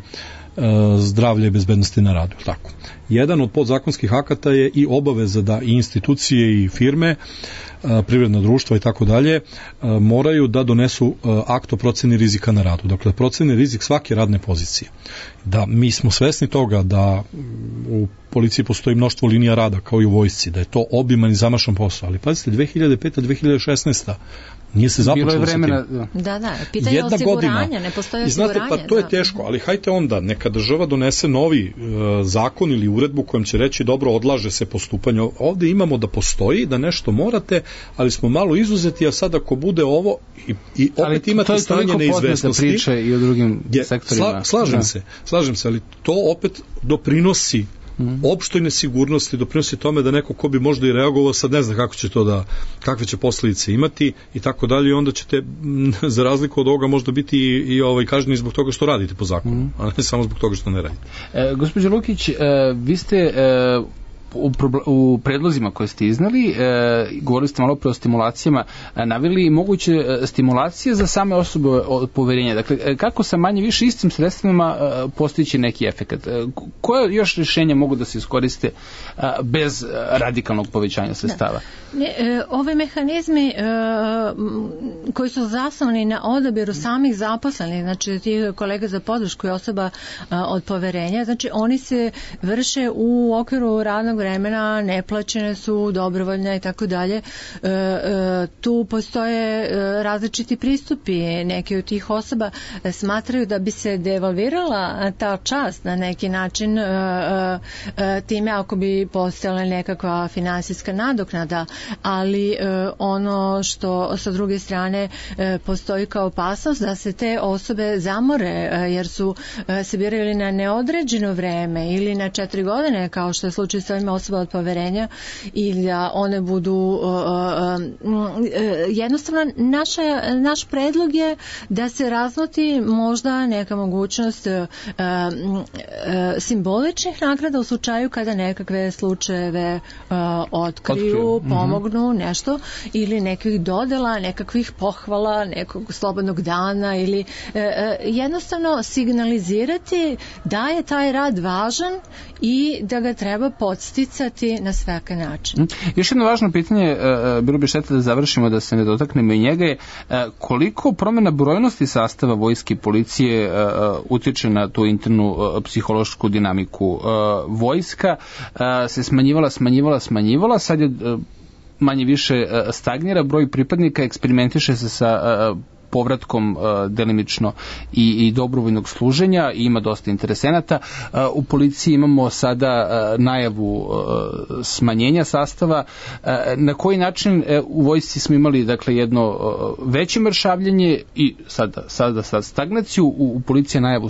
zdravlja i bezbednosti na radu. Tako. Jedan od podzakonskih akata je i obaveza da i institucije i firme, privredna društva i tako dalje, moraju da donesu akt o proceni rizika na radu. Dakle, proceni rizik svake radne pozicije. Da mi smo svesni toga da u policiji postoji mnoštvo linija rada kao i u vojsci, da je to obiman i zamašan posao, ali pazite, 2005-2016 nije se započelo sa tim. Da, pitanje osiguranja, ne postoji osiguranje. Znate, pa to je teško, ali hajte onda, neka država donese novi zakon ili uredbu kojom će reći dobro, odlaže se postupanje. Ovde imamo da postoji, da nešto morate, ali smo malo izuzeti, a sad ako bude ovo i opet imate stanje neizvesnosti. Priče i o drugim sektorima. Slažem se, ali to opet doprinosi opštoj nesigurnosti, doprinosi tome da neko ko bi možda i reagovao sad ne zna kako će to da, kakve će posledice imati i tako dalje, i onda ćete za razliku od ovoga možda biti i kažnjeni zbog toga što radite po zakonu, a ne samo zbog toga što ne radite. Gospođo Lukić, vi ste u predlozima koje ste iznali, govorili ste malo pre o stimulacijama, naveli moguće stimulacije za same osobe od poverenja. Dakle, kako sa manje više istim sredstvima postići neki efekat? Koje još rješenja mogu da se iskoriste bez radikalnog povećanja sredstava? Ove mehanizmi koji su zasnovani na odabiru samih zaposlenih, znači tih kolega za podršku i osoba od poverenja, znači oni se vrše u okviru radnog vremena, neplaćene su, dobrovoljne i tako dalje. Tu postoje različiti pristupi. Neki od tih osoba smatraju da bi se devalvirala ta čast na neki način time ako bi postojala nekakva finansijska nadoknada, ali ono što sa druge strane postoji kao opasnost da se te osobe zamore jer su se birali na neodređeno vreme ili na 4 godine kao što je slučaj sa ovim osoba od poverenja, ili da one budu jednostavno naš predlog je da se razmoti možda neka mogućnost simboličnih nagrada u slučaju kada nekakve slučajeve otkriju, pomognu nešto, ili nekih dodela, nekakvih pohvala, nekog slobodnog dana, ili jednostavno signalizirati da je taj rad važan i da ga treba podsticati na svaki način. Još jedno važno pitanje, bilo bi šteta da završimo, da se ne dotaknemo i njega, je koliko promjena brojnosti sastava vojske i policije utiče na tu internu psihološku dinamiku. Vojska se smanjivala, sad je manje više stagnira, broj pripadnika eksperimentira se sa povratkom delimično i dobrovoljnog služenja i ima dosta interesenata. U policiji imamo sada najavu smanjenja sastava. Na koji način u vojsci smo imali dakle jedno veće mršavljenje i sada stagnaciju, u policiji najavu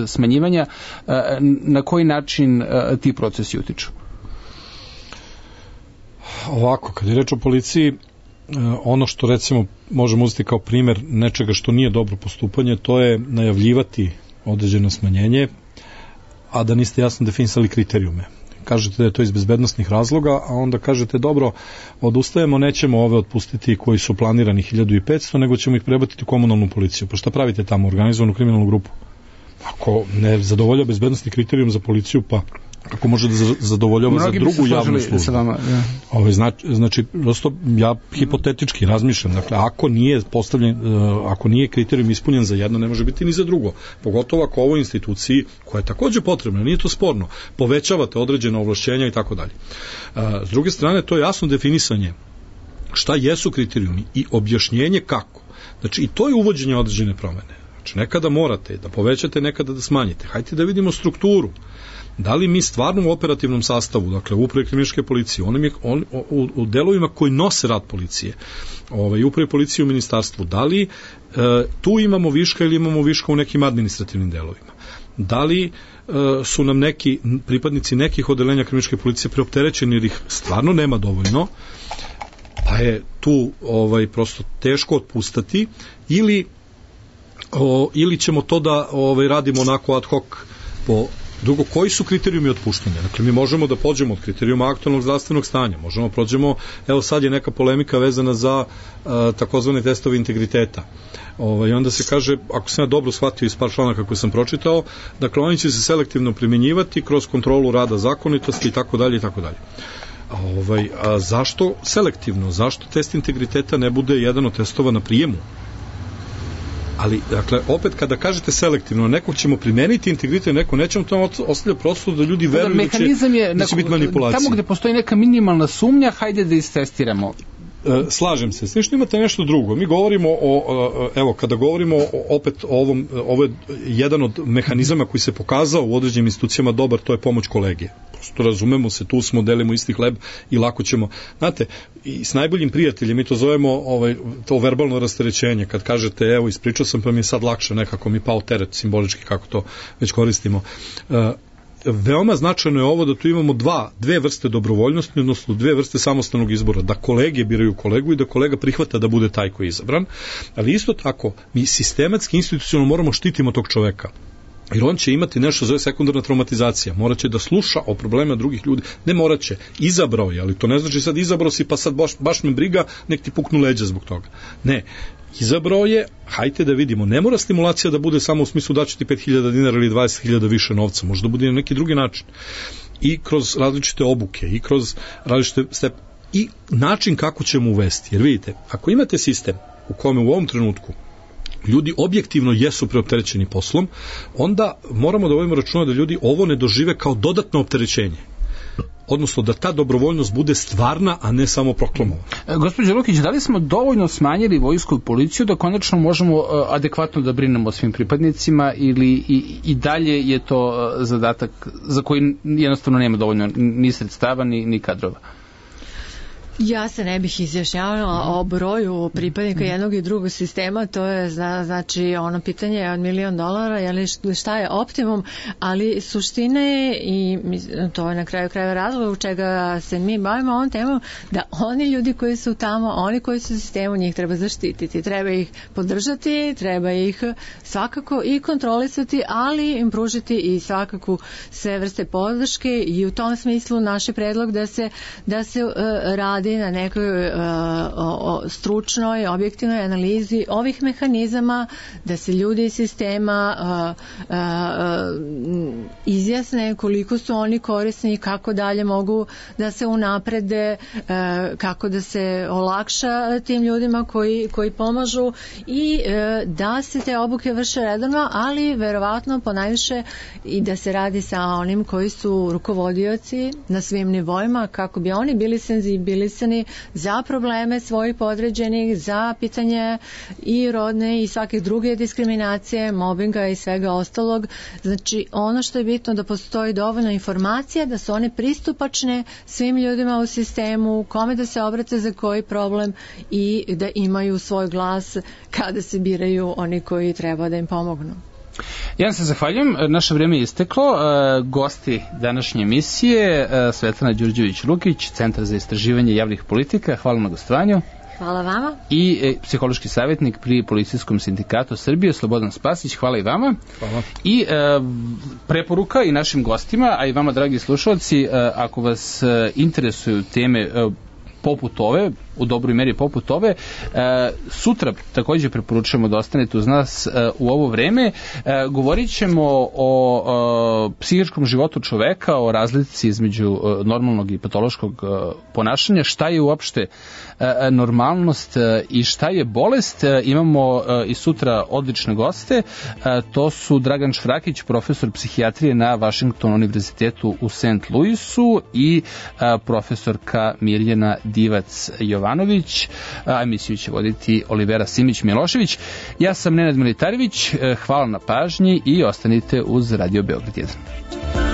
smanjivanja. Na koji način ti procesi utiču? Ovako, kad je reč o policiji, ono što recimo možemo uzeti kao primjer nečega što nije dobro postupanje, to je najavljivati određeno smanjenje, a da niste jasno definisali kriterijume. Kažete da je to iz bezbednostnih razloga, a onda kažete dobro, odustajemo, nećemo ove otpustiti koji su planirani 1500, nego ćemo ih prebaciti u komunalnu policiju. Pa šta pravite tamo, organizovanu kriminalnu grupu? Ako ne zadovolja bezbednostni kriterijum za policiju, pa kako može da zadovoljava za drugu javnu službu. Znači, prosto ja hipotetički razmišljam, dakle, ako nije kriterijum ispunjen za jedno, ne može biti ni za drugo. Pogotovo ako ovoj instituciji, koja je takođe potrebna, nije to sporno, povećavate određena ovlašćenja i tako dalje. S druge strane, to je jasno definisanje šta jesu kriterijumi i objašnjenje kako. Znači, i to je uvođenje određene promene. Znači, nekada morate da povećate, nekada da smanjite. Hajde da vidimo strukturu. Da li mi stvarno u operativnom sastavu, dakle u upravi kriminalističke policije, u delovima koji nose rad policije, upravi policije u ministarstvu, da li tu imamo viška ili imamo viška u nekim administrativnim delovima? Da li su nam neki pripadnici nekih odelenja kriminalističke policije preopterećeni jer ih stvarno nema dovoljno, pa je tu prosto teško otpustati, ili ćemo to da radimo onako ad hoc po. Drugo, koji su kriterijumi otpuštanja? Dakle, mi možemo da pođemo od kriterijuma aktualnog zdravstvenog stanja, možemo prođemo, evo sad je neka polemika vezana za takozvane testove integriteta. I onda se kaže, ako sam ja dobro shvatio iz par članaka koje sam pročitao, dakle, oni će se selektivno primjenjivati kroz kontrolu rada zakonitosti i tako dalje i tako dalje. A zašto selektivno? Zašto test integriteta ne bude jedan od testova na prijemu? Ali, dakle, opet kada kažete selektivno, nekog ćemo primeniti integritet, neko nećemo, to ostavlja prostor da ljudi veruju da će biti manipulacija. Tamo gde postoji neka minimalna sumnja, hajde da istestiramo. Slažem se. Slično imate nešto drugo. Mi govorimo kada govorimo opet o ovom, ovo je jedan od mehanizama koji se pokazao u određenim institucijama dobar, to je pomoć kolege. Prosto razumemo se, tu smo, delimo isti hleb i lako ćemo. Znate, i s najboljim prijateljem mi to zovemo to verbalno rasterećenje. Kad kažete, evo, ispričao sam, pa mi je sad lakše, nekako mi pao teret simbolički, kako to već koristimo. veoma značajno je ovo da tu imamo dve vrste dobrovoljnosti, odnosno dve vrste samostalnog izbora, da kolege biraju kolegu i da kolega prihvata da bude taj koji je izabran, ali isto tako mi sistematski, institucionalno moramo štitimo tog čoveka. Jer on će imati nešto zove sekundarna traumatizacija, moraće da sluša o problemima drugih ljudi, ne moraće, izabrao je, ali to ne znači sad izabrao si pa sad baš me briga, nek ti puknu leđa zbog toga. Ne, izabrao je, hajte da vidimo, ne mora stimulacija da bude samo u smislu da će ti 5.000 dinara ili 20.000 više novca, može da bude na neki drugi način. I kroz različite obuke, i kroz različite stepe, i način kako ćemo uvesti. Jer vidite, ako imate sistem u kome u ovom trenutku ljudi objektivno jesu preopterećeni poslom, onda moramo da vodimo računa da ljudi ovo ne dožive kao dodatno opterećenje. Odnosno da ta dobrovoljnost bude stvarna, a ne samo proklamovana. Gospođo Lukić, da li smo dovoljno smanjili vojsku i policiju da konačno možemo adekvatno da brinemo o svim pripadnicima ili i dalje je to zadatak za koji jednostavno nema dovoljno ni sredstava ni kadrova? Ja se ne bih izjašnjavala o broju pripadnika jednog i drugog sistema, to je znači ono pitanje od $1.000.000, jeli šta je optimum, ali suština je, i to je na kraju krajeva razlog u čega se mi bavimo ovom temom, da oni ljudi koji su tamo, oni koji su u sistemu, njih treba zaštititi, treba ih podržati, treba ih svakako i kontrolisati, ali im pružiti i svakako sve vrste podrške, i u tom smislu naš je predlog da se radi na nekoj stručnoj, objektivnoj analizi ovih mehanizama, da se ljudi iz sistema izjasne koliko su oni korisni, kako dalje mogu da se unaprede, kako da se olakša tim ljudima koji pomažu, i da se te obuke vrše redovno, ali verovatno ponajviše i da se radi sa onim koji su rukovodioci na svim nivoima, kako bi oni bili senzibilisani za probleme svojih podređenih, za pitanje i rodne i svake druge diskriminacije, mobinga i svega ostalog. Znači, ono što je bitno da postoji dovoljno informacija, da su one pristupačne svim ljudima u sistemu, kome da se obrate za koji problem, i da imaju svoj glas kada se biraju oni koji treba da im pomognu. Ja se zahvaljujem, naše vreme je isteklo. Gosti današnje emisije Svetlana Đurđević-Lukić, Centar za istraživanje javnih politika, hvala na gostovanju. Hvala vama. I psihološki savjetnik pri Policijskom sindikatu Srbije, Slobodan Spasić, hvala i vama. Hvala. I preporuka i našim gostima, a i vama, dragi slušalci, ako vas interesuju teme poput ove, u dobroj meri poput ove, sutra također preporučujemo da ostanete uz nas u ovo vreme. Govorit ćemo o psihičkom životu čoveka, o razlici između normalnog i patološkog ponašanja, šta je uopšte normalnost i šta je bolest. Imamo i sutra odlične goste, to su Dragan Švrakić, profesor psihijatrije na Washington univerzitetu u St. Louisu, i profesorka Mirjana Divac-Jovanović, a emisiju će voditi Olivera Simić-Milošević. Ja sam Nenad Militarević, hvala na pažnji i ostanite uz Radio Beograd 1.